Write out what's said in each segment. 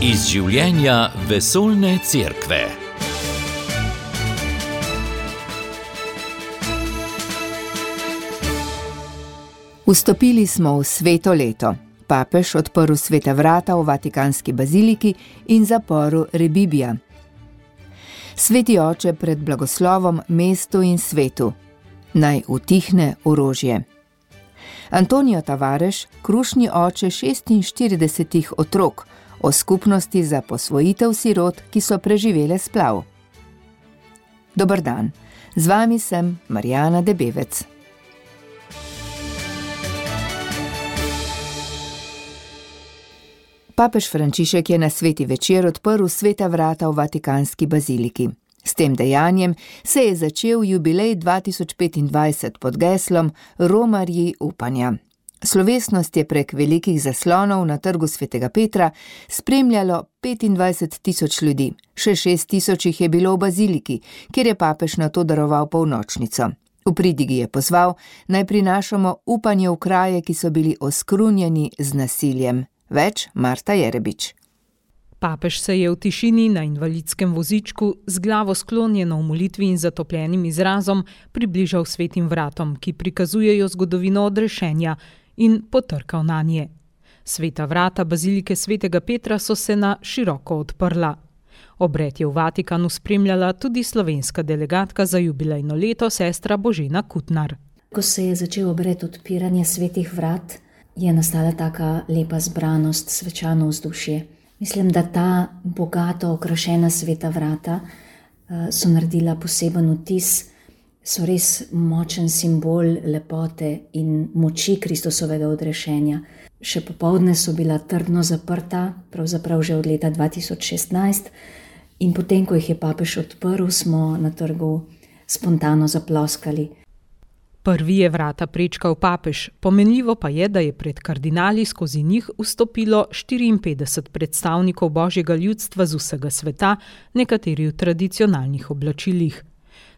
Iz življenja vesoljne cerkve. Vstopili smo v sveto leto. Papež odprl sveta vrata v Vatikanski baziliki in zaporu Rebibija. Sveti oče pred blagoslovom mestu in svetu. Naj utihne orožje. Antonio Tavares, krušni oče 46 otrok, o skupnosti za posvojitev sirot, ki so preživele splav. Dober dan, z vami sem Marjana Debevec. Papež Frančišek je na sveti večer odprl sveta vrata v Vatikanski baziliki. S tem dejanjem se je začel jubilej 2025 pod geslom Romarji upanja. Slovesnost je prek velikih zaslonov na trgu svetega Petra spremljalo 25.000 ljudi, še 6.000 jih je bilo v baziliki, kjer je papež nato daroval polnočnico. V pridigi je pozval, naj prinašamo upanje v kraje, ki so bili oskrunjeni z nasiljem. Več Marta Jerebič. Papež se je v tišini na invalidskem vozičku z glavo sklonjeno v molitvi in zatopljenim izrazom približal svetim vratom, ki prikazujejo zgodovino odrešenja, in potrkal nanje. Sveta vrata bazilike svetega Petra so se na široko odprla. Obred je v Vatikanu spremljala tudi slovenska delegatka za jubilejno leto, sestra Božena Kutnar. Ko se je začel obred odpiranja svetih vrat, je nastala taka lepa zbranost, svečano vzdušje. Mislim, da ta bogato okrašena sveta vrata so naredila poseben vtis, so res močen simbol lepote in moči Kristusovega odrešenja. Še popoldne so bila trdno zaprta, pravzaprav že od leta 2016, in potem, ko jih je papež odprl, smo na trgu spontano zaploskali. Prvi je vrata prečkal papež, pomenljivo pa je, da je pred kardinali skozi njih vstopilo 54 predstavnikov božjega ljudstva z vsega sveta, nekateri v tradicionalnih oblačilih.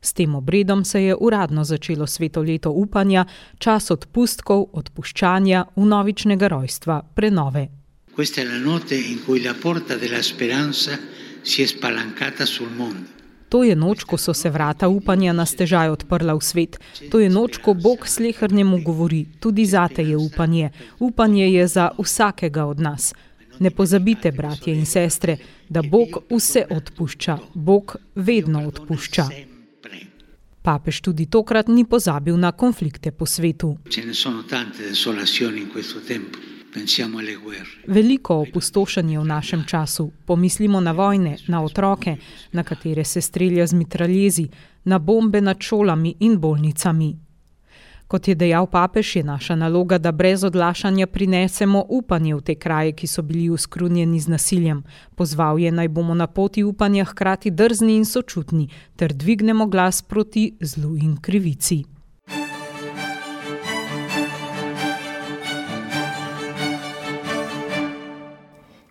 S tem obredom se je uradno začelo sveto leto upanja, čas odpustkov, odpuščanja, vnovičnega rojstva, prenove. Questa è la notte in cui la porta della speranza si è spalancata sul mondo. To je noč, ko so se vrata upanja na stežaj odprla v svet. To je noč, ko Bog slehernemu govori, tudi zate je upanje. Upanje je za vsakega od nas. Ne pozabite, bratje in sestre, da Bog vse odpušča. Bog vedno odpušča. Papež tudi tokrat ni pozabil na konflikte po svetu. Veliko opustošenje v našem času. Pomislimo na vojne, na otroke, na katere se strelja z mitraljezi, na bombe nad šolami in bolnicami. Kot je dejal papež, je naša naloga, da brez odlašanja prinesemo upanje v te kraje, ki so bili oskrunjeni z nasiljem. Pozval je, naj bomo na poti upanja hkrati drzni in sočutni, ter dvignemo glas proti zlu in krivici.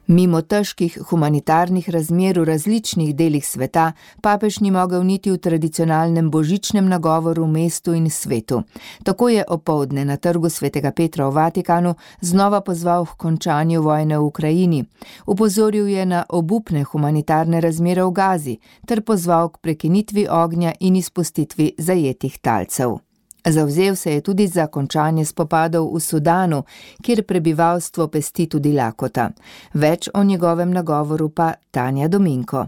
Mimo težkih humanitarnih razmer v različnih delih sveta, papež ni mogel niti v tradicionalnem božičnem nagovoru v mestu in svetu. Tako je opoldne na trgu svetega Petra v Vatikanu znova pozval k končanju vojne v Ukrajini. Upozoril je na obupne humanitarne razmere v Gazi ter pozval k prekinitvi ognja in izpustitvi zajetih talcev. Zavzel se je tudi za končanje spopadov v Sudanu, kjer prebivalstvo pesti tudi lakota. Več o njegovem nagovoru pa Tanja Dominko.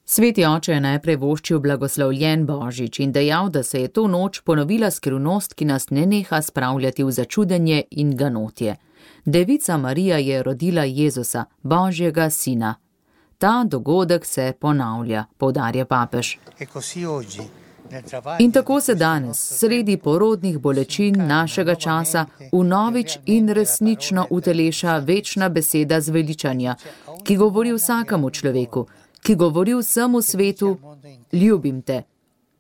Sveti oče je najprej voščil blagoslovljen Božič in dejal, da se je to noč ponovila skrivnost, ki nas ne neha spravljati v začudenje in ganotje. Devica Marija je rodila Jezusa, Božjega sina. Ta dogodek se ponavlja, poudarja papež. In tako se danes, sredi porodnih bolečin našega časa, vnovič in resnično uteleša večna beseda zveličanja, ki govori vsakemu človeku, ki govori vsemu svetu, ljubim te,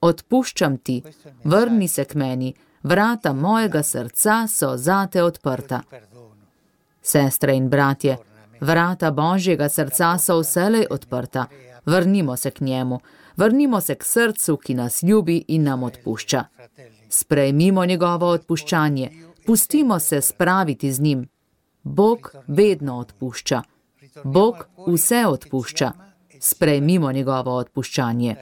odpuščam ti, vrni se k meni, vrata mojega srca so zate odprta. Sestre in bratje, vrata Božjega srca so vselej odprta, vrnimo se k njemu. Vrnimo se k srcu, ki nas ljubi in nam odpušča. Sprejmimo njegovo odpuščanje, pustimo se spraviti z njim. Bog vedno odpušča. Bog vse odpušča. Sprejmimo njegovo odpuščanje.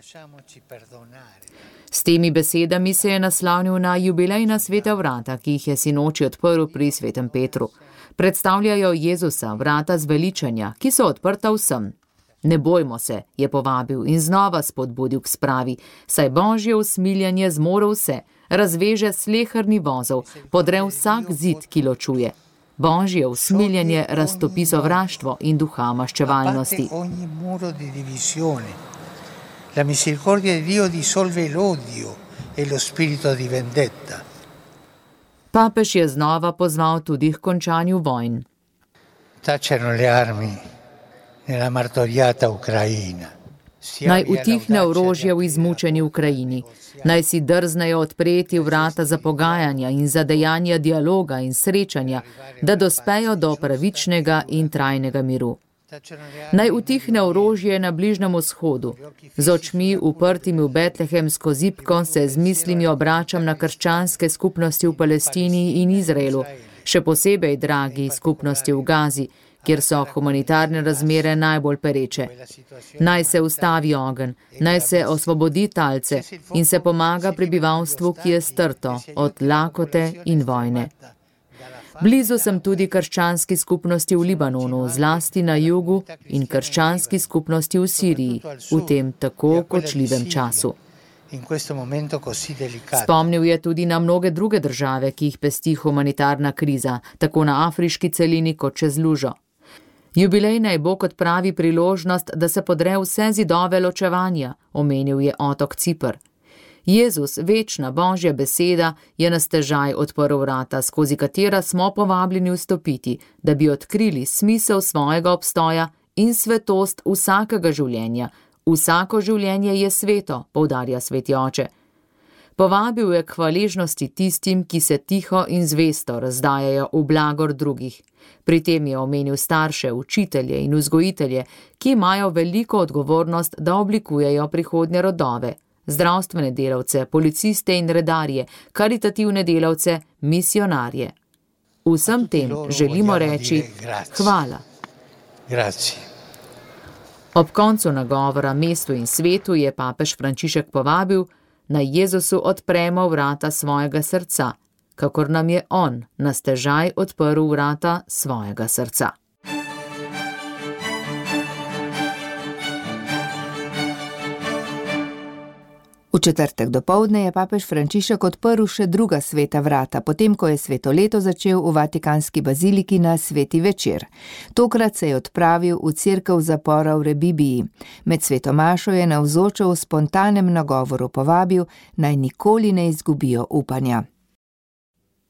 S temi besedami se je naslovnil na jubilejna sveta vrata, ki jih je sinoči odprl pri svetem Petru. Predstavljajo Jezusa, vrata zveličanja, ki so odprta vsem. Ne bojmo se, je povabil in znova spodbudil k spravi, saj Božje usmiljanje zmore vse, razveže sleherni vozov, podre vsak zid, ki ločuje. Božje usmiljanje raztopi sovraštvo in duha maščevalnosti. La misericordia di Dio dissolve l'odio e lo spirito di vendetta. Papež je znova pozval tudi k končanju vojn. Tacciano le armi nella martoriata Ucraina. Naj utihne orožje v izmučeni Ukrajini. Naj si drznejo odpreti vrata za pogajanja in za dejanja dialoga in srečanja, da dospejo do pravičnega in trajnega miru. Naj utihne orožje na Bližnjem vzhodu. Z očmi uprtimi v betlehemsko zibko se z mislimi obračam na krščanske skupnosti v Palestini in Izraelu, še posebej dragi skupnosti v Gazi, kjer so humanitarne razmere najbolj pereče. Naj se ustavi ogenj, naj se osvobodi talce in se pomaga prebivalstvu, ki je strto od lakote in vojne. Blizu sem tudi krščanski skupnosti v Libanonu, zlasti na jugu, in krščanski skupnosti v Siriji, v tem tako kočljivem času. Spomnil je tudi na mnoge druge države, ki jih pesti humanitarna kriza, tako na afriški celini kot čez lužo. Jubilej naj bo kot pravi priložnost, da se podre vse zidove ločevanja, omenil je otok Cipr. Jezus, večna Božja beseda, je na stežaj odprl vrata, skozi katera smo povabljeni vstopiti, da bi odkrili smisel svojega obstoja in svetost vsakega življenja. Vsako življenje je sveto, poudarja sveti oče. Povabil je k hvaležnosti tistim, ki se tiho in zvesto razdajajo v blagor drugih. Pri tem je omenil starše, učitelje in vzgojitelje, ki imajo veliko odgovornost, da oblikujejo prihodnje rodove. Zdravstvene delavce, policiste in redarje, karitativne delavce, misionarje. Vsem tem želimo reči hvala. Ob koncu nagovora mestu in svetu je papež Frančišek povabil, naj Jezusu odpremo vrata svojega srca, kakor nam je on na stežaj odprl vrata svojega srca. V četrtek dopoldne je papež Frančišek odprl še druga sveta vrata, potem ko je sveto leto začel v Vatikanski baziliki na sveti večer. Tokrat se je odpravil v cerkev zapora v Rebibiji. Med sveto mašo je navzoče v spontanem nagovoru povabil, naj nikoli ne izgubijo upanja.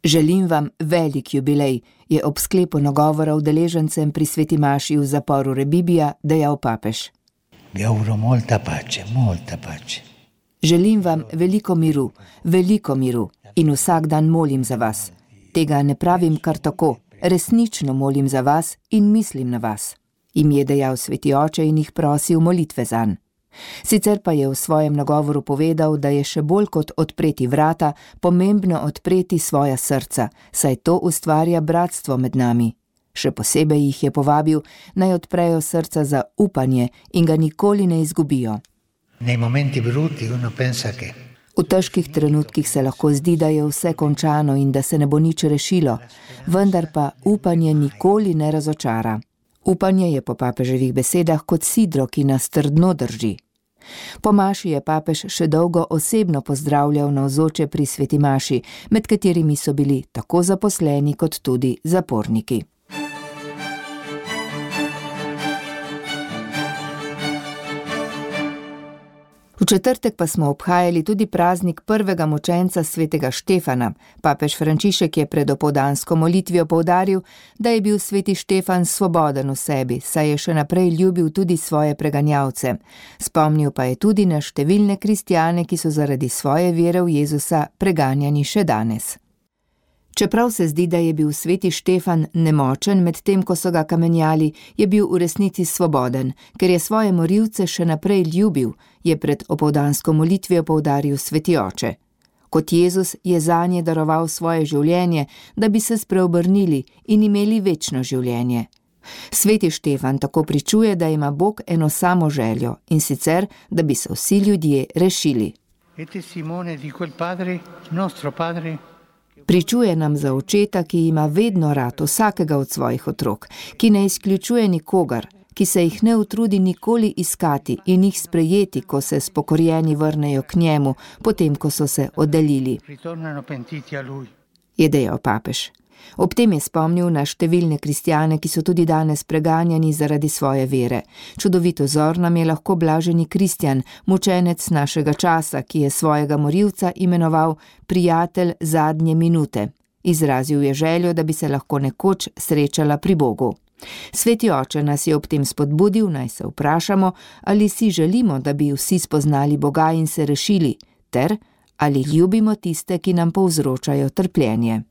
Želim vam velik jubilej, je ob sklepu nagovora udeležencem pri sveti maši v zaporu Rebibija dejal papež. Vi auguro molta pace, molta pace. Želim vam veliko miru in vsak dan molim za vas. Tega ne pravim kar tako, resnično molim za vas in mislim na vas. Jim je dejal sveti oče in jih prosil molitve zanj. Sicer pa je v svojem nagovoru povedal, da je še bolj kot odpreti vrata, pomembno odpreti svoja srca, saj to ustvarja bratstvo med nami. Še posebej jih je povabil, naj odprejo srca za upanje in ga nikoli ne izgubijo. V težkih trenutkih se lahko zdi, da je vse končano in da se ne bo nič rešilo, vendar pa upanje nikoli ne razočara. Upanje je po papeževih besedah kot sidro, ki nas trdno drži. Po maši je papež še dolgo osebno pozdravljal navzoče pri sveti maši, med katerimi so bili tako zaposleni kot tudi zaporniki. V četrtek pa smo obhajali tudi praznik prvega mučenca svetega Štefana. Papež Frančišek je pred opoldansko molitvijo poudaril, da je bil sveti Štefan svoboden v sebi, saj je še naprej ljubil tudi svoje preganjavce. Spomnil pa je tudi na številne kristjane, ki so zaradi svoje vere v Jezusa preganjani še danes. Čeprav se zdi, da je bil sveti Štefan nemočen med tem, ko so ga kamenjali, je bil v resnici svoboden, ker je svoje morilce še naprej ljubil, je pred opoldansko molitvijo poudaril sveti oče. Kot Jezus je zanje daroval svoje življenje, da bi se spreobrnili in imeli večno življenje. Sveti Štefan tako pričuje, da ima Bog eno samo željo, in sicer, da bi se vsi ljudje rešili. Pričuje nam za očeta, ki ima vedno rad vsakega od svojih otrok, ki ne izključuje nikogar, ki se jih ne utrudi nikoli iskati in jih sprejeti, ko se spokorjeni vrnejo k njemu, potem ko so se oddaljili, je dejal papež. Ob tem je spomnil na številne kristjane, ki so tudi danes preganjani zaradi svoje vere. Čudovit vzor nam je lahko blaženi Kristjan, mučenec našega časa, ki je svojega morilca imenoval prijatelj zadnje minute. Izrazil je željo, da bi se lahko nekoč srečala pri Bogu. Sveti oče nas je ob tem spodbudil, naj se vprašamo, ali si želimo, da bi vsi spoznali Boga in se rešili, ter ali ljubimo tiste, ki nam povzročajo trpljenje.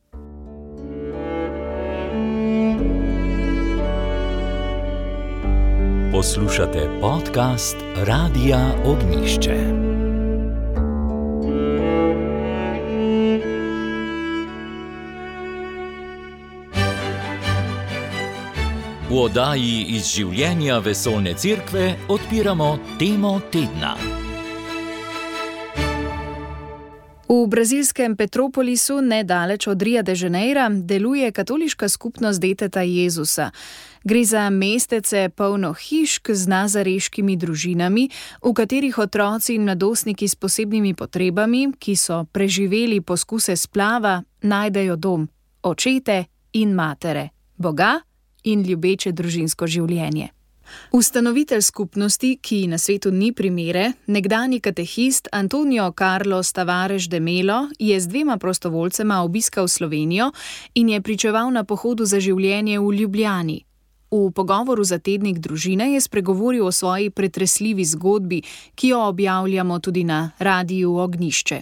Poslušate podcast Radia Ognjišče. V oddaji iz življenja Vesoljne cerkve odpiramo temo tedna. V brazilskem Petropolisu, nedaleč od Ria de Janeira, deluje katoliška skupnost Deteta Jezusa. Gre za mestece polno hišk z nazareškimi družinami, v katerih otroci in mladostniki s posebnimi potrebami, ki so preživeli poskuse splava, najdejo dom, očete in matere, Boga in ljubeče družinsko življenje. Ustanovitelj skupnosti, ki na svetu ni primere, nekdanji katehist Antonio Carlos Tavares de Melo, je z 2 prostovoljcema obiskal Slovenijo in je pričeval na pohodu za življenje v Ljubljani. V pogovoru za tednik Družine je spregovoril o svoji pretresljivi zgodbi, ki jo objavljamo tudi na Radiu Ognjišče.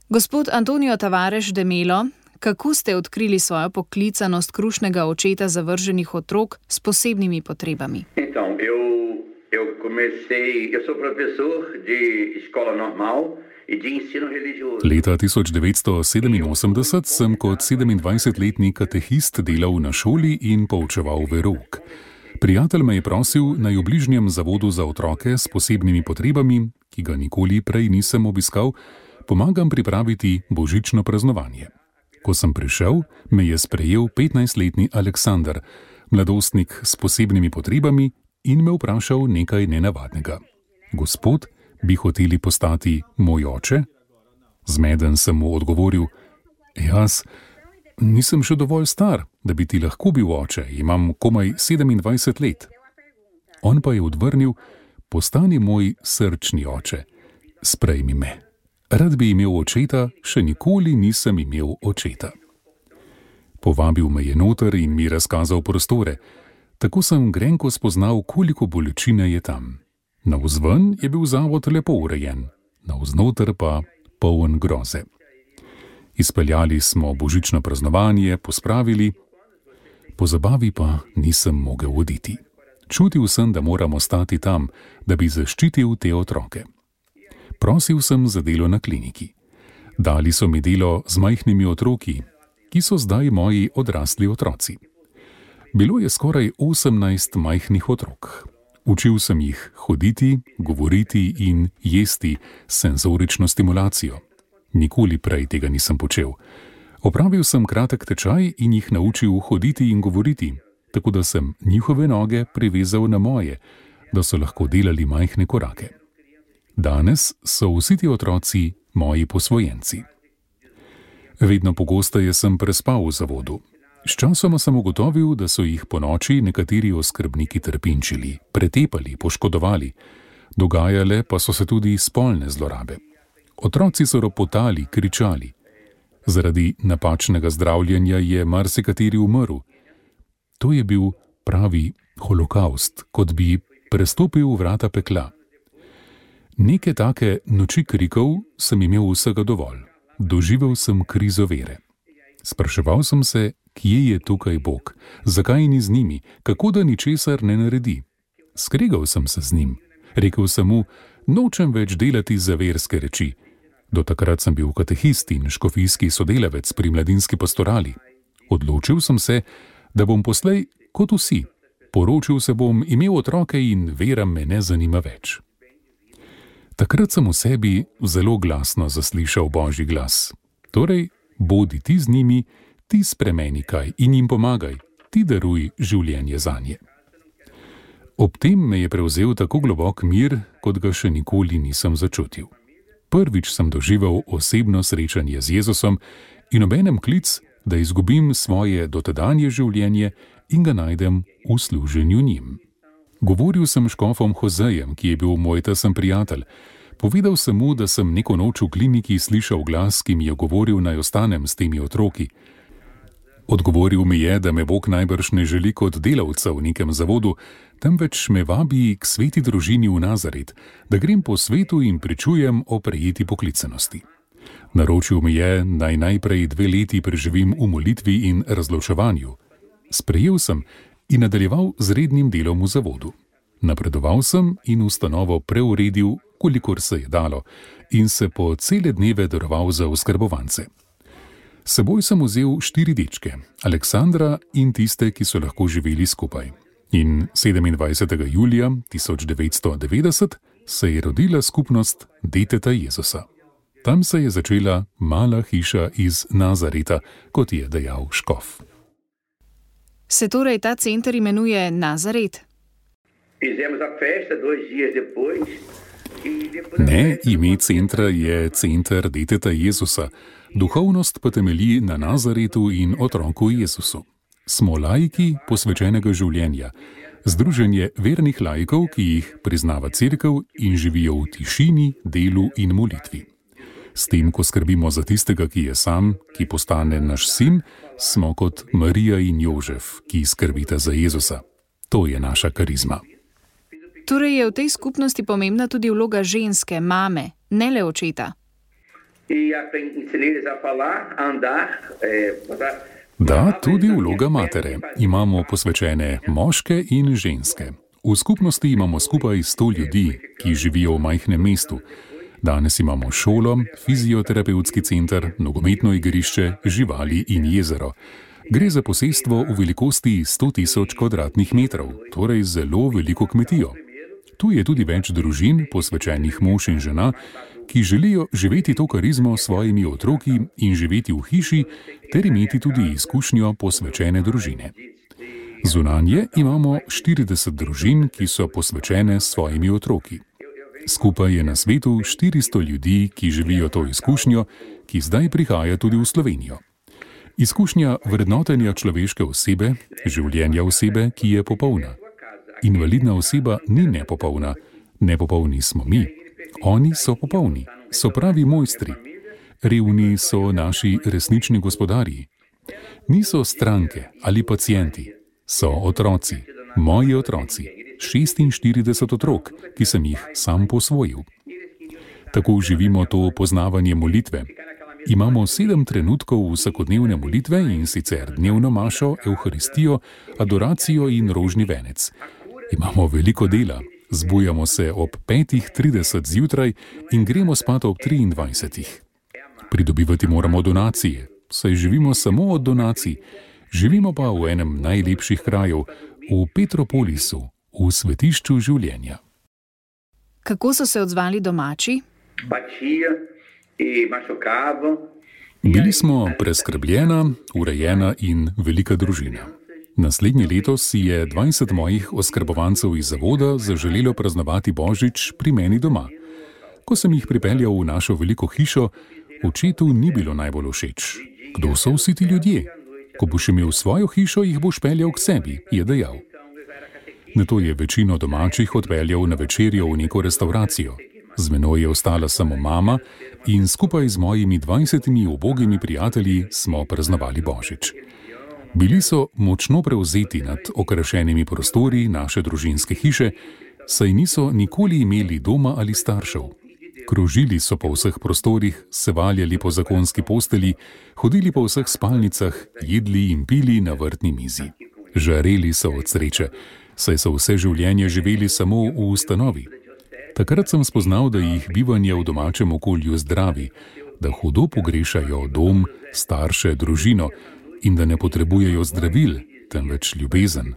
Gospod Antonio Tavares de Melo, kako ste odkrili svojo poklicanost krušnega očeta zavrženih otrok s posebnimi potrebami? Eu sou professor de escola normal e de ensino religioso. Leta 1987 sem kot 27-letni katehist delal na šoli in poučeval verouk. Prijatelj me je prosil, naj v bližnjem zavodu za otroke s posebnimi potrebami, ki ga nikoli prej nisem obiskal, pomagam pripraviti božično praznovanje. Ko sem prišel, me je sprejel 15-letni Aleksander, mladostnik s posebnimi potrebami, in me vprašal nekaj nenavadnega. Gospod, bi hoteli postati moj oče? Zmeden sem mu odgovoril, jaz nisem še dovolj star, da bi ti lahko bil oče, imam komaj 27 let. On pa je odvrnil, postani moj srčni oče, sprejmi me. Rad bi imel očeta, še nikoli nisem imel očeta. Povabil me je noter in mi razkazal prostore. Tako sem grenko spoznal, koliko bolečine je tam. Navzven je bil zavod lepo urejen, navznoter pa poln groze. Izpeljali smo božično praznovanje, pospravili, po zabavi pa nisem mogel oditi. Čutil sem, da moram ostati tam, da bi zaščitil te otroke. Prosil sem za delo na kliniki. Dali so mi delo z majhnimi otroki, ki so zdaj moji odrasli otroci. Bilo je skoraj 18 majhnih otrok. Učil sem jih hoditi, govoriti in jesti s senzorično stimulacijo. Nikoli prej tega nisem počel. Opravil sem kratek tečaj in jih naučil hoditi in govoriti, tako da sem njihove noge privezal na moje, da so lahko delali majhne korake. Danes so vsi ti otroci moji posvojenci. Vedno pogosteje sem prespal v zavodu. Sčasoma sem ugotovil, da so jih ponoči nekateri oskrbniki trpinčili, pretepali, poškodovali. Dogajale pa so se tudi spolne zlorabe. Otroci so ropotali, kričali. Zaradi napačnega zdravljenja je marsikateri umrl. To je bil pravi holokavst, kot bi prestopil vrata pekla. Neke take noči krikov sem imel vsega dovolj. Doživel sem krizo vere. Spraševal sem se, kje je tukaj Bog, zakaj ni z njimi, kako da ničesar ne naredi. Skregal sem se z njim. Rekel sem mu, nočem več delati za verske reči. Do takrat sem bil katehist in škofijski sodelavec pri mladinski pastorali. Odločil sem se, da bom poslej kot vsi. Poročil se bom, imel otroke in vera me ne zanima več. Takrat sem v sebi zelo glasno zaslišal Božji glas. Torej, bodi ti z njimi, ti spremeni kaj in jim pomagaj, ti daruj življenje zanje. Ob tem me je prevzel tako globok mir, kot ga še nikoli nisem začutil. Prvič sem doživel osebno srečanje z Jezusom in obenem klic, da izgubim svoje dotedanje življenje in ga najdem v služenju njim. Govoril sem škofom Hozejem, ki je bil moj tesen prijatelj. Povedal sem mu, da sem neko noč v kliniki slišal glas, ki mi je govoril, naj ostanem s temi otroki. Odgovoril mi je, da me Bog najbrž ne želi kot delavca v nekem zavodu, temveč me vabi k sveti družini v Nazaret, da grem po svetu in pričujem o prejeti poklicanosti. Naročil mi je, naj najprej 2 leti preživim v molitvi in razločevanju. Sprejel sem in nadaljeval z rednim delom v zavodu. Napredoval sem in ustanovo preuredil, kolikor se je dalo, in se po cele dneve daroval za oskrbovance. S seboj sem vzel 4 dečke, Aleksandra in tiste, ki so lahko živeli skupaj. In 27. julija 1990 se je rodila skupnost Deteta Jezusa. Tam se je začela mala hiša iz Nazareta, kot je dejal škof. Se torej ta center imenuje Nazaret? Ne, ime centra je Center Deteta Jezusa, duhovnost pa temelji na Nazaretu in otroku Jezusu. Smo laiki posvečenega življenja, združenje vernih laikov, ki jih priznava cerkev in živijo v tišini, delu in molitvi. S tem, ko skrbimo za tistega, ki je sam, ki postane naš sin, smo kot Marija in Jožef, ki skrbita za Jezusa. To je naša karizma. Torej je v tej skupnosti pomembna tudi vloga ženske, mame, ne le očeta. Da, tudi vloga matere. Imamo posvečene moške in ženske. V skupnosti imamo skupaj 100 ljudi, ki živijo v majhnem mestu. Danes imamo šolo, fizioterapevtski center, nogometno igrišče, živali in jezero. Gre za posestvo v velikosti 100.000 kvadratnih metrov, torej zelo veliko kmetijo. Tu je tudi več družin, posvečenih mož in žena, ki želijo živeti to karizmo s svojimi otroki in živeti v hiši, ter imeti tudi izkušnjo posvečene družine. Zunanje imamo 40 družin, ki so posvečene s svojimi otroki. Skupaj je na svetu 400 ljudi, ki živijo to izkušnjo, ki zdaj prihaja tudi v Slovenijo. Izkušnja vrednotenja človeške osebe, življenja osebe, ki je popolna. Invalidna oseba ni nepopolna, nepopolni smo mi. Oni so popolni, so pravi mojstri. Revni so naši resnični gospodarji. Niso stranke ali pacienti, so otroci, moji otroci. 46 otrok, ki sem jih sam posvojil. Tako živimo to poznavanje molitve. Imamo 7 trenutkov vsakodnevne molitve in sicer dnevno mašo, evharistijo, adoracijo in rožni venec. Imamo veliko dela. Zbujamo se ob 5:30 zjutraj in gremo spat ob 23. Pridobivati moramo donacije, saj živimo samo od donacij. Živimo pa v enem najlepših krajev, v Petropolisu, v svetišču življenja. Kako so se odzvali domači? Bili smo preskrbljena, urejena in velika družina. Naslednje leto si je 20 mojih oskrbovancev iz zavoda zaželelo praznovati Božič pri meni doma. Ko sem jih pripeljal v našo veliko hišo, očetu ni bilo najbolj všeč. Kdo so vsi ti ljudje? Ko boš imel svojo hišo, jih boš peljal k sebi, je dejal. Nato je večino domačih odpeljal na večerjo v neko restauracijo. Z menoj je ostala samo mama in skupaj z mojimi 20 ubogimi prijatelji smo praznovali Božič. Bili so močno prevzeti nad okrašenimi prostori naše družinske hiše, saj niso nikoli imeli doma ali staršev. Krožili so po vseh prostorih, se valjali po zakonski posteli, hodili po vseh spalnicah, jedli in pili na vrtni mizi. Žareli so od sreče, saj so vse življenje živeli samo v ustanovi. Takrat sem spoznal, da jih bivanje v domačem okolju zdravi, da hudo pogrešajo dom, starše, družino in da ne potrebujejo zdravil, temveč ljubezen.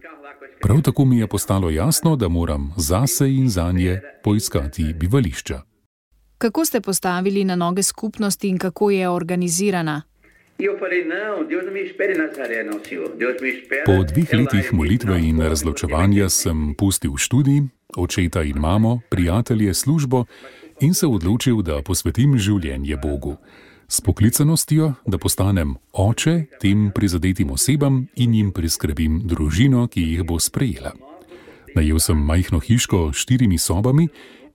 Prav tako mi je postalo jasno, da moram zase in zanje poiskati bivališča. Kako ste postavili na noge skupnosti in kako je organizirana? Po 2 letih molitve in razločevanja sem pustil študij, očeta in mamo, prijatelje, službo in se odločil, da posvetim življenje Bogu. S poklicanostjo, da postanem oče tem prizadetim osebam in jim priskrbim družino, ki jih bo sprejela. Najel sem majhno hiško s 4 sobami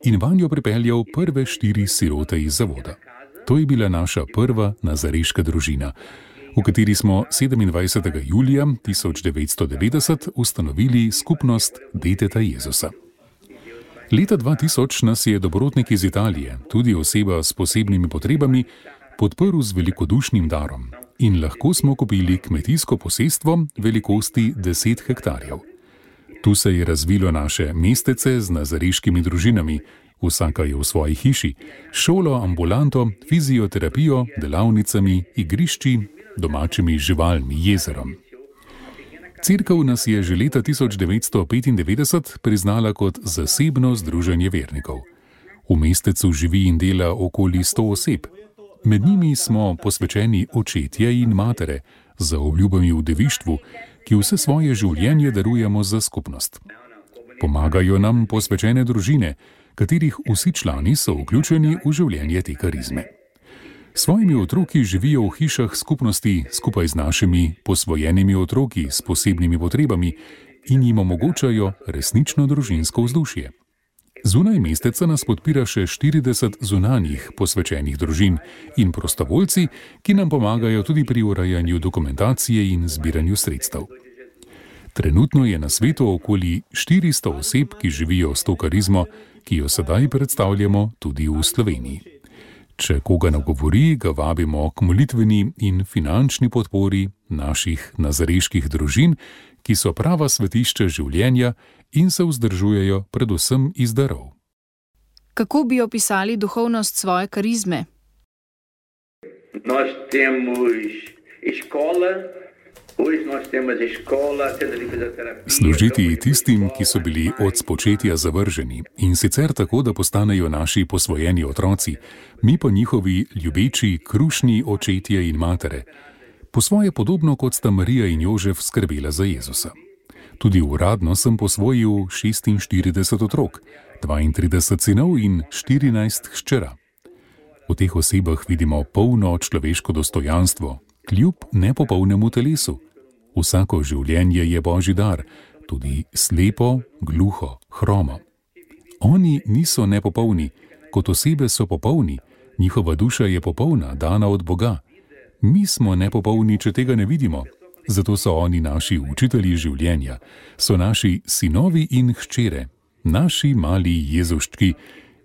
in vanjo pripeljal prve 4 sirote iz zavoda. To je bila naša prva nazareška družina, v kateri smo 27. julija 1990 ustanovili skupnost Deteta Jezusa. Leta 2000 nas je dobrotnik iz Italije, tudi oseba s posebnimi potrebami, podprl z velikodušnim darom in lahko smo kupili kmetijsko posestvo velikosti 10 hektarjev. Tu se je razvilo naše mestece z nazareškimi družinami, vsaka je v svoji hiši, šolo, ambulanto, fizioterapijo, delavnicami, igrišči, domačimi živalmi, jezerom. Cerkev nas je že leta 1995 priznala kot zasebno združenje vernikov. V mestecu živi in dela okoli 100 oseb. Med njimi smo posvečeni očetje in matere, za obljubami v devištvu, ki vse svoje življenje darujemo za skupnost. Pomagajo nam posvečene družine, katerih vsi člani so vključeni v življenje te karizme. Svojimi otroki živijo v hišah skupnosti skupaj z našimi posvojenimi otroki s posebnimi potrebami in jim omogočajo resnično družinsko vzdušje. Zunaj mesteca nas podpira še 40 zunanjih posvečenih družin in prostovoljci, ki nam pomagajo tudi pri urejanju dokumentacije in zbiranju sredstev. Trenutno je na svetu okoli 400 oseb, ki živijo s to karizmo, ki jo sedaj predstavljamo tudi v Sloveniji. Če koga nagovori, ga vabimo k molitveni in finančni podpori naših nazareških družin, ki so prava svetišča življenja in se vzdržujejo predvsem iz darov. Kako bi opisali duhovnost svoje karizme? Služiti tistim, ki so bili od spočetja zavrženi, in sicer tako, da postanejo naši posvojeni otroci, mi pa njihovi ljubeči, krušni očetje in matere, po svoje podobno kot sta Marija in Jožef skrbela za Jezusa. Tudi uradno sem posvojil 46 otrok, 32 sinov in 14 hčera. V teh osebah vidimo polno človeško dostojanstvo, kljub nepopolnemu telesu. Vsako življenje je Božji dar, tudi slepo, gluho, hromo. Oni niso nepopolni, kot osebe so popolni, njihova duša je popolna, dana od Boga. Mi smo nepopolni, če tega ne vidimo, zato so oni naši učitelji življenja, so naši sinovi in hčere, naši mali Jezuščki,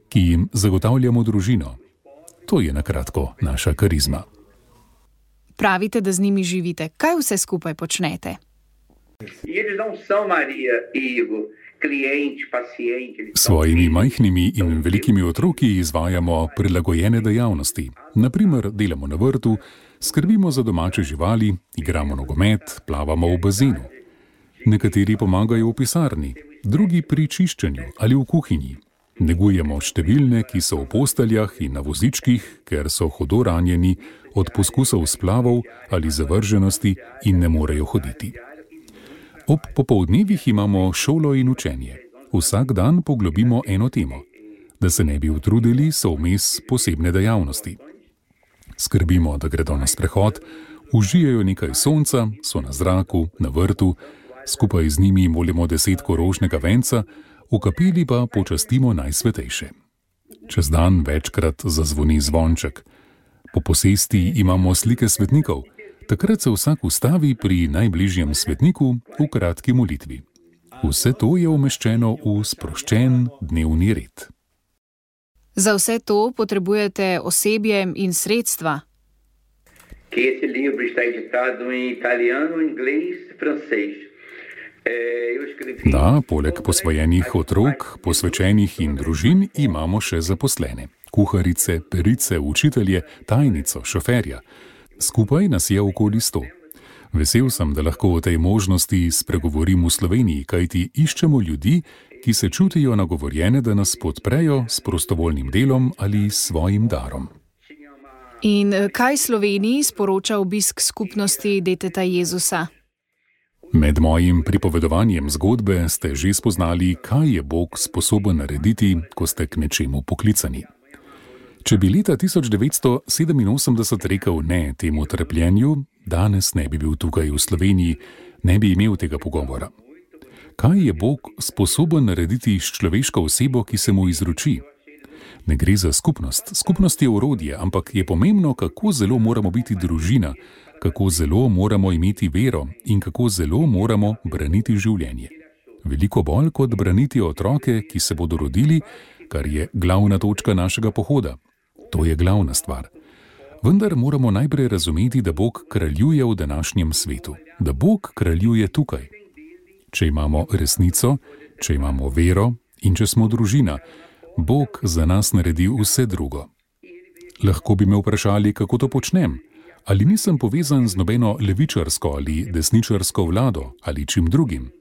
ki jim zagotavljamo družino. To je na kratko naša karizma. Pravite, da z njimi živite. Kaj vse skupaj počnete? S svojimi majhnimi in velikimi otroki izvajamo prilagojene dejavnosti. Naprimer, delamo na vrtu, skrbimo za domače živali, igramo nogomet, plavamo v bazenu. Nekateri pomagajo v pisarni, drugi pri čiščenju ali v kuhinji. Negujemo številne, ki so v posteljah in na vozičkih, ker so hudo ranjeni od poskusov splavov ali zavrženosti in ne morejo hoditi. Ob popoldnevih imamo šolo in učenje. Vsak dan poglobimo eno temo. Da se ne bi utrudili, so vmes posebne dejavnosti. Skrbimo, da gredo na sprehod, užijejo nekaj sonca, so na zraku, na vrtu, skupaj z njimi molimo 10 rožnega venca, v kapeli pa počastimo Najsvetejše. Čez dan večkrat zazvoni zvonček. Po posesti imamo slike svetnikov. Takrat se vsak ustavi pri najbližjem svetniku v kratki molitvi. Vse to je umeščeno v sproščen dnevni red. Za vse to potrebujete osebje in sredstva. Da, poleg posvojenih otrok, posvečenih in družin imamo še zaposlene. Kuharice, perice, učitelje, tajnico, šoferja. Skupaj nas je okoli 100. Vesel sem, da lahko o tej možnosti spregovorim v Sloveniji, kajti iščemo ljudi, ki se čutijo nagovorjene, da nas podprejo s prostovoljnim delom ali svojim darom. In kaj Sloveniji sporoča obisk skupnosti Deteta Jezusa? Med mojim pripovedovanjem zgodbe ste že spoznali, kaj je Bog sposoben narediti, ko ste k nečemu poklicani. Če bi leta 1987 rekel ne temu trpljenju, danes ne bi bil tukaj v Sloveniji, ne bi imel tega pogovora. Kaj je Bog sposoben narediti s človeško osebo, ki se mu izroči? Ne gre za skupnost. Skupnost je orodje, ampak je pomembno, kako zelo moramo biti družina, kako zelo moramo imeti vero in kako zelo moramo braniti življenje. Veliko bolj kot braniti otroke, ki se bodo rodili, kar je glavna točka našega pohoda. To je glavna stvar. Vendar moramo najprej razumeti, da Bog kraljuje v današnjem svetu, da Bog kraljuje tukaj. Če imamo resnico, če imamo vero in če smo družina, Bog za nas naredi vse drugo. Lahko bi me vprašali, kako to počnem. Ali nisem povezan z nobeno levičarsko ali desničarsko vlado ali čim drugim?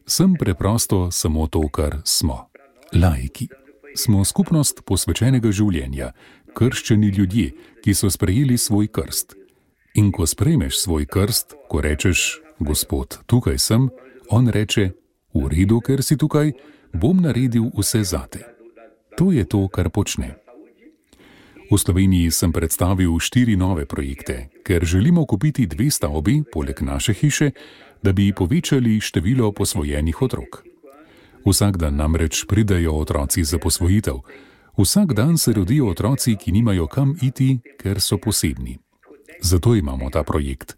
Sem preprosto samo to, kar smo. Laiki. Smo skupnost posvečenega življenja, krščeni ljudje, ki so sprejeli svoj krst. In ko sprejmeš svoj krst, ko rečeš, Gospod, tukaj sem, on reče, v redu, ker si tukaj, bom naredil vse zate. To je to, kar počne. V Sloveniji sem predstavil 4 nove projekte, ker želimo kupiti 2 stavbi, poleg naše hiše, da bi povečali število posvojenih otrok. Vsak dan namreč pridejo otroci za posvojitev. Vsak dan se rodijo otroci, ki nimajo kam iti, ker so posebni. Zato imamo ta projekt.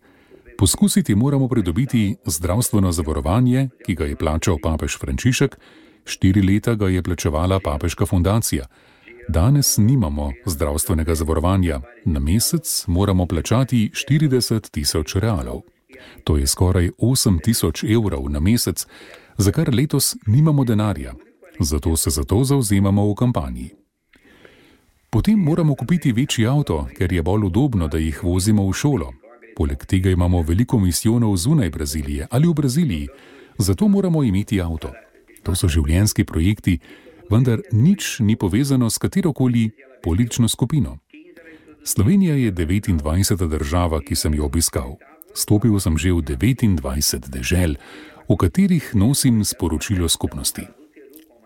Poskusiti moramo pridobiti zdravstveno zavarovanje, ki ga je plačal papež Frančišek, 4 leta ga je plačevala papeška fundacija. Danes nimamo zdravstvenega zavarovanja. Na mesec moramo plačati 40.000 realov. To je skoraj 8.000 evrov na mesec, za kar letos nimamo denarja. Zato se za to zavzemamo v kampanji. Potem moramo kupiti večji avto, ker je bolj udobno, da jih vozimo v šolo. Poleg tega imamo veliko misijonov zunaj Brazilije ali v Braziliji, zato moramo imeti avto. To so življenjski projekti, vendar nič ni povezano s katerokoli politično skupino. Slovenija je 29. država, ki sem jo obiskal. Stopil sem že v 29 dežel, v katerih nosim sporočilo skupnosti.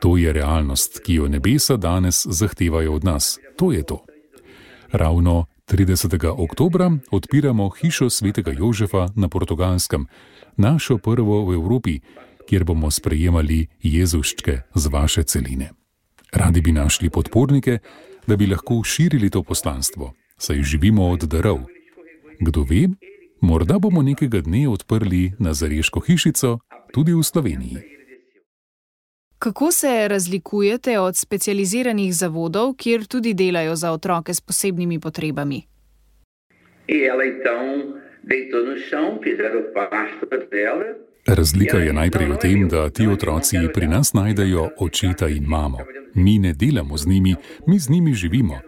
To je realnost, ki jo nebesa danes zahtevajo od nas. To je to. Ravno 30. oktobra odpiramo hišo svetega Jožefa na Portugalskem, našo prvo v Evropi, kjer bomo sprejemali Jezuščke z vaše celine. Radi bi našli podpornike, da bi lahko širili to poslanstvo, saj živimo od darov. Kdo ve, morda bomo nekega dne odprli nazareško hišico tudi v Sloveniji. Kako se razlikujete od specializiranih zavodov, kjer tudi delajo za otroke s posebnimi potrebami? Razlika je najprej v tem, da ti otroci pri nas najdejo očeta in mamo. Mi ne delamo z njimi, mi z njimi živimo.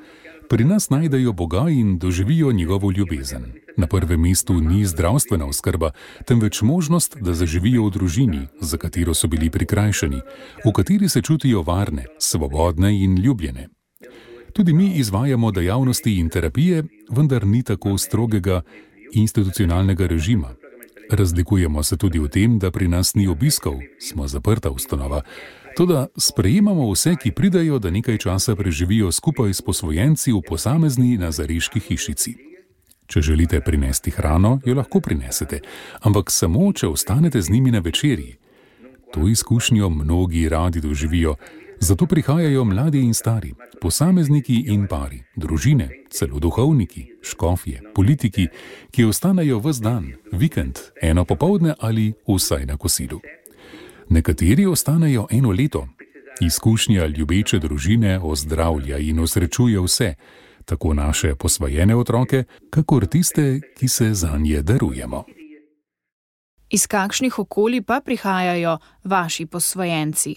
Pri nas najdejo Boga in doživijo njegovo ljubezen. Na prvem mestu ni zdravstvena oskrba, temveč možnost, da zaživijo v družini, za katero so bili prikrajšani, v kateri se čutijo varne, svobodne in ljubljene. Tudi mi izvajamo dejavnosti in terapije, vendar ni tako strogega institucionalnega režima. Razlikujemo se tudi v tem, da pri nas ni obiskov, smo zaprta ustanova. Toda sprejemamo vse, ki pridajo, da nekaj časa preživijo skupaj s posvojenci v posamezni nazareški hišici. Če želite prinesti hrano, jo lahko prinesete, ampak samo, če ostanete z njimi na večerji. To izkušnjo mnogi radi doživijo, zato prihajajo mladi in stari, posamezniki in pari, družine, celo duhovniki, škofje, politiki, ki ostanejo ves dan, vikend, eno popoldne ali vsaj na kosilu. Nekateri ostanejo 1 leto. Izkušnja ljubeče družine ozdravlja in osrečuje vse, tako naše posvojene otroke, kakor tiste, ki se zanje darujemo. Iz kakšnih okolij pa prihajajo vaši posvojenci?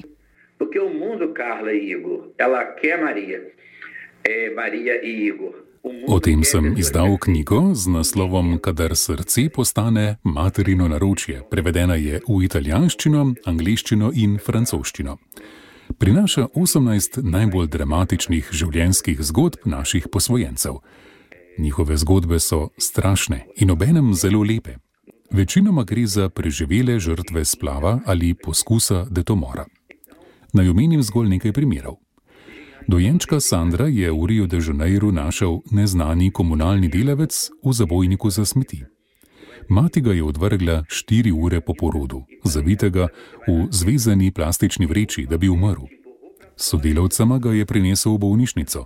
O tem sem izdal knjigo z naslovom Kadar srce postane materino naročje. Prevedena je v italijanščino, angleščino in francoščino. Prinaša 18 najbolj dramatičnih življenjskih zgodb naših posvojencev. Njihove zgodbe so strašne in obenem zelo lepe. Večinoma gre za preživele žrtve splava ali poskusa detomora. Naj omenim zgolj nekaj primerov. Dojenčka Sandra je v Rio de Janeiru našel neznani komunalni delavec v zabojniku za smeti. Mati ga je odvrgla 4 ure po porodu, zavitega v zvezani plastični vreči, da bi umrl. Sodelavcema ga je prinesel v bolnišnico.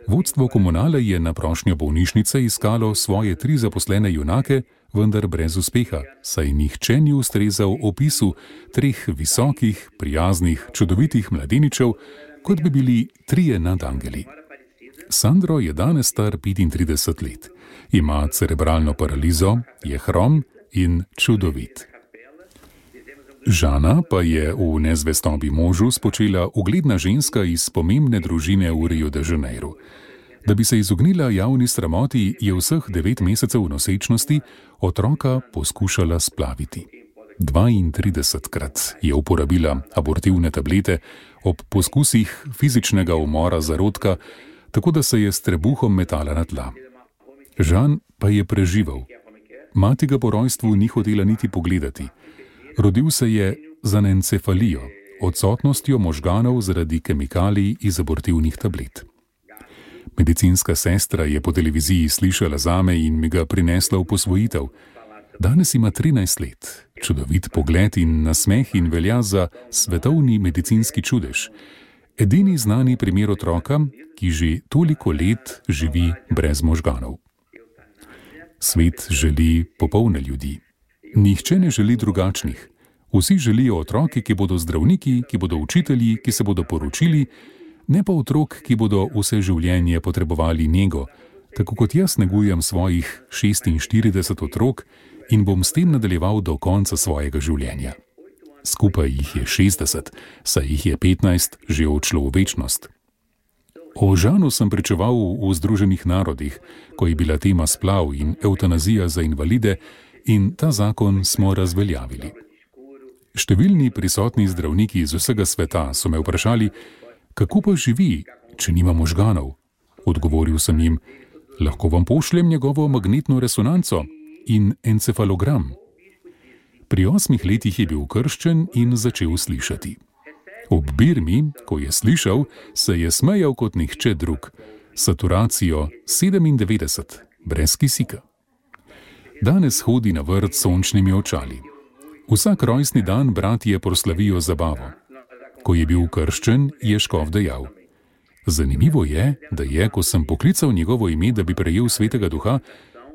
Vodstvo komunale je na prošnjo bolnišnice iskalo svoje 3 zaposlene junake, vendar brez uspeha, saj nihče ni ustrezal opisu 3 visokih, prijaznih, čudovitih mladeničev, kot bi bili 3 nadangeli. Sandro je danes star 35 let. Ima cerebralno paralizo, je hrom in čudovit. Žana pa je v nezvestobi možu spočela ugledna ženska iz pomembne družine v Rio de Janeiru. Da bi se izognila javni sramoti, je vseh 9 mesecev nosečnosti otroka poskušala splaviti. 32-krat je uporabila abortivne tablete ob poskusih fizičnega umora zarodka, tako da se je s trebuhom metala na tla. Žan pa je preživel. Mati ga po rojstvu ni hotela niti pogledati. Rodil se je z anencefalijo, odsotnostjo možganov zaradi kemikalij iz abortivnih tablet. Medicinska sestra je po televiziji slišala zame in mi ga prinesla v posvojitev. Danes ima 13 let, čudovit pogled in nasmeh in velja za svetovni medicinski čudež. Edini znani primer otroka, ki že toliko let živi brez možganov. Svet želi popolne ljudi. Nihče ne želi drugačnih. Vsi želijo otroke, ki bodo zdravniki, ki bodo učitelji, ki se bodo poročili, ne pa otrok, ki bodo vse življenje potrebovali nego, tako kot jaz negujem svojih 46 otrok in bom s tem nadaljeval do konca svojega življenja. Skupaj jih je 60, saj jih je 15 že odšlo v večnost. O Žanu sem pričeval v Združenih narodih, ko je bila tema splav in evtanazija za invalide, in ta zakon smo razveljavili. Številni prisotni zdravniki iz vsega sveta so me vprašali, kako pa živi, če nima možganov. Odgovoril sem jim, lahko vam pošljem njegovo magnetno resonanco in encefalogram. Pri 8 letih je bil krščen in začel slišati. Ob birmi, ko je slišal, se je smejal kot nihče drug. Saturacijo 97, brez kisika. Danes hodi na vrt s sončnimi očali. Vsak rojstni dan bratje proslavijo zabavo. Ko je bil krščen, je škof dejal. Zanimivo je, da je, ko sem poklical njegovo ime, da bi prejel svetega duha,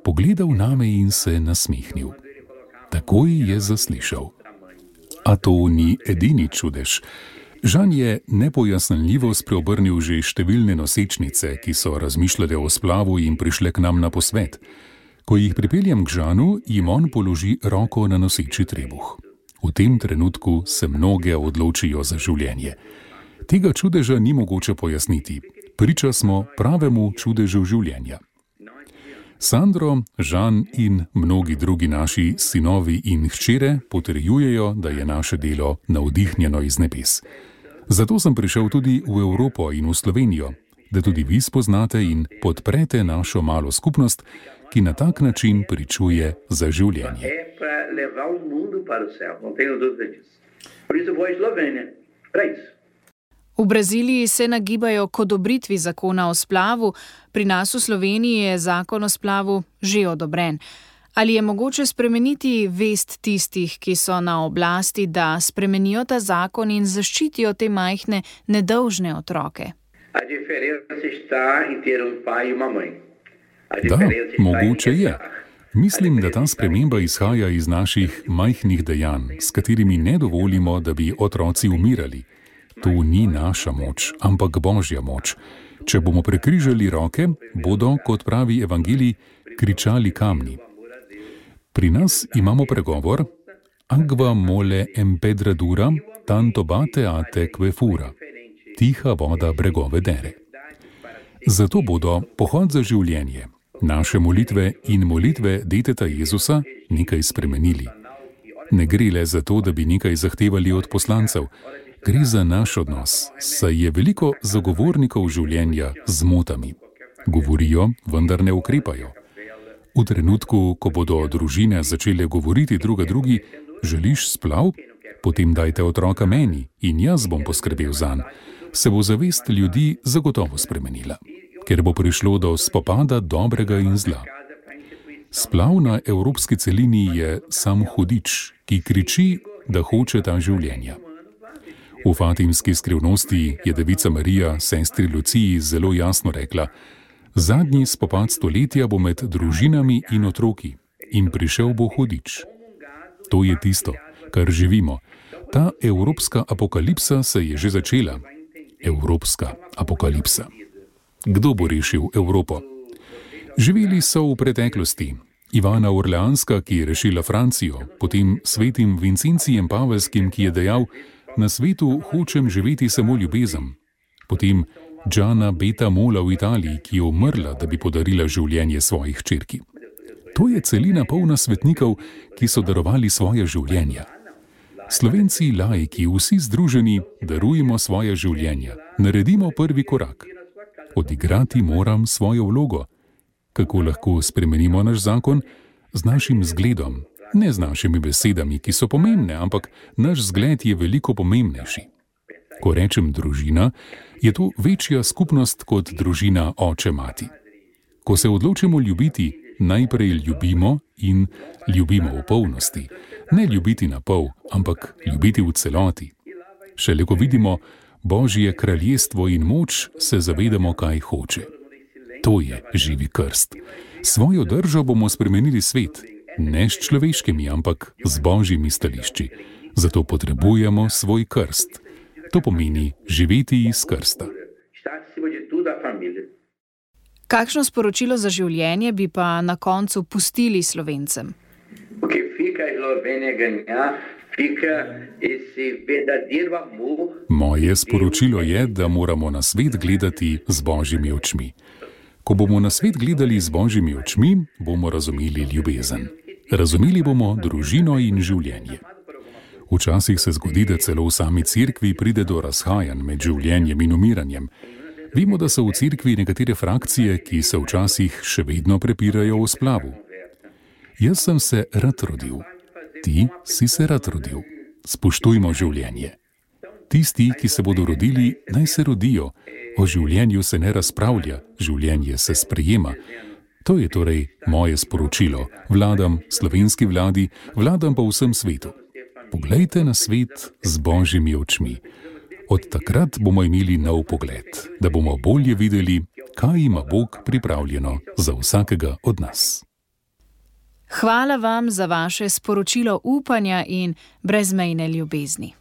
pogledal name in se nasmehnil. Takoj je zaslišal. A to ni edini čudež. Žan je nepojasnljivo spreobrnil že številne nosečnice, ki so razmišljale o splavu in prišle k nam na posvet. Ko jih pripeljem k Žanu, jim on položi roko na noseči trebuh. V tem trenutku se mnoge odločijo za življenje. Tega čudeža ni mogoče pojasniti. Priča smo pravemu čudežu življenja. Sandro, Žan in mnogi drugi naši sinovi in hčere potrjujejo, da je naše delo navdihnjeno iz nebes. Zato sem prišel tudi v Evropo in v Slovenijo, da tudi vi spoznate in podprete našo malo skupnost, ki na tak način pričuje za življenje. V Braziliji se nagibajo k odobritvi zakona o splavu, pri nas v Sloveniji je zakon o splavu že odobren. Ali je mogoče spremeniti vest tistih, ki so na oblasti, da spremenijo ta zakon in zaščitijo te majhne, nedolžne otroke? Da, mogoče je. Mislim, da ta sprememba izhaja iz naših majhnih dejanj, s katerimi ne dovolimo, da bi otroci umirali. To ni naša moč, ampak Božja moč. Če bomo prekrižali roke, bodo, kot pravi evangelij, kričali kamni. Pri nas imamo pregovor Agua mole empedradura, tanto bate ate que fura. Tiha voda bregove dere. Zato bodo pohod za življenje, naše molitve in molitve deteta Jezusa nekaj spremenili. Ne gre le za to, da bi nekaj zahtevali od poslancev, gre za naš odnos, saj je veliko zagovornikov življenja z zmotami. Govorijo, vendar ne ukrepajo. V trenutku, ko bodo družine začele govoriti druga drugi, želiš splav? Potem dajte otroka meni in jaz bom poskrbel zanj, se bo zavest ljudi zagotovo spremenila, ker bo prišlo do spopada dobrega in zla. Splav na evropski celini je sam hudič, ki kriči, da hoče ta življenja. V Fatimski skrivnosti je devica Marija sestri Luciji zelo jasno rekla: zadnji spopad stoletja bo med družinami in otroki in prišel bo hudič. To je tisto, kar živimo. Ta evropska apokalipsa se je že začela. Evropska apokalipsa. Kdo bo rešil Evropo? Živeli so v preteklosti. Ivana Orleanska, ki je rešila Francijo, potem svetim Vincencijem Pavelskim, ki je dejal: na svetu hočem živeti samo ljubezen. Potem Gianna Beta Mola v Italiji, ki je umrla, da bi podarila življenje svojih hčerki. To je celina polna svetnikov, ki so darovali svoje življenja. Slovenci laiki, vsi združeni, darujemo svoje življenja. Naredimo prvi korak. Odigrati moram svojo vlogo. Kako lahko spremenimo naš zakon? Z našim zgledom, ne z našimi besedami, ki so pomembne, ampak naš zgled je veliko pomembnejši. Ko rečem družina, je to večja skupnost kot družina oče-mati. Ko se odločimo ljubiti, najprej ljubimo in ljubimo v polnosti. Ne ljubiti na pol, ampak ljubiti v celoti. Šele ko vidimo Božje kraljestvo in moč, se zavedamo, kaj hoče. To je živi krst. Svojo držo bomo spremenili svet, ne s človeškimi, ampak z Božjimi stališči. Zato potrebujemo svoj krst. To pomeni živeti iz krsta. Kakšno sporočilo za življenje bi pa na koncu pustili Slovencem? Moje sporočilo je, da moramo na svet gledati z Božjimi očmi. Ko bomo na svet gledali z Božjimi očmi, bomo razumeli ljubezen. Razumeli bomo družino in življenje. Včasih se zgodi, da celo v sami cerkvi pride do razhajanj med življenjem in umiranjem. Vemo, da so v cerkvi nekatere frakcije, ki se včasih še vedno prepirajo o splavu. Jaz sem se rad rodil. Ti si se rad rodil. Spoštujmo življenje. Tisti, ki se bodo rodili, naj se rodijo. O življenju se ne razpravlja, življenje se sprejema. To je torej moje sporočilo. Vladam slovenski vladi, vladam pa vsem svetu. Poglejte na svet z Božjimi očmi. Od takrat bomo imeli nov pogled, da bomo bolje videli, kaj ima Bog pripravljeno za vsakega od nas. Hvala vam za vaše sporočilo upanja in brezmejne ljubezni.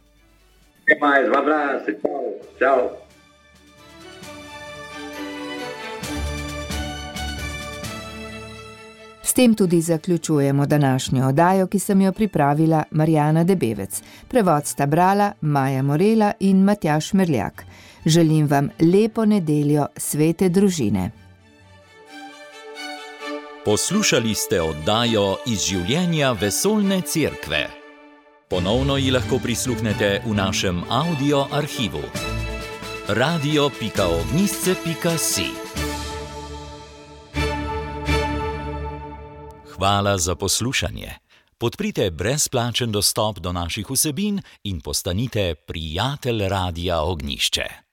S tem tudi zaključujemo današnjo oddajo, ki sem jo pripravila Marjana Debevec. Prevod sta brala Maja Morela in Matjaž Merljak. Želim vam lepo nedeljo svete družine. Poslušali ste oddajo iz življenja vesoljne cerkve. Ponovno ji lahko prisluhnete v našem audio arhivu. radio.ognisce.si. Hvala za poslušanje. Podprite brezplačen dostop do naših vsebin in postanite prijatelj Radia Ognišče.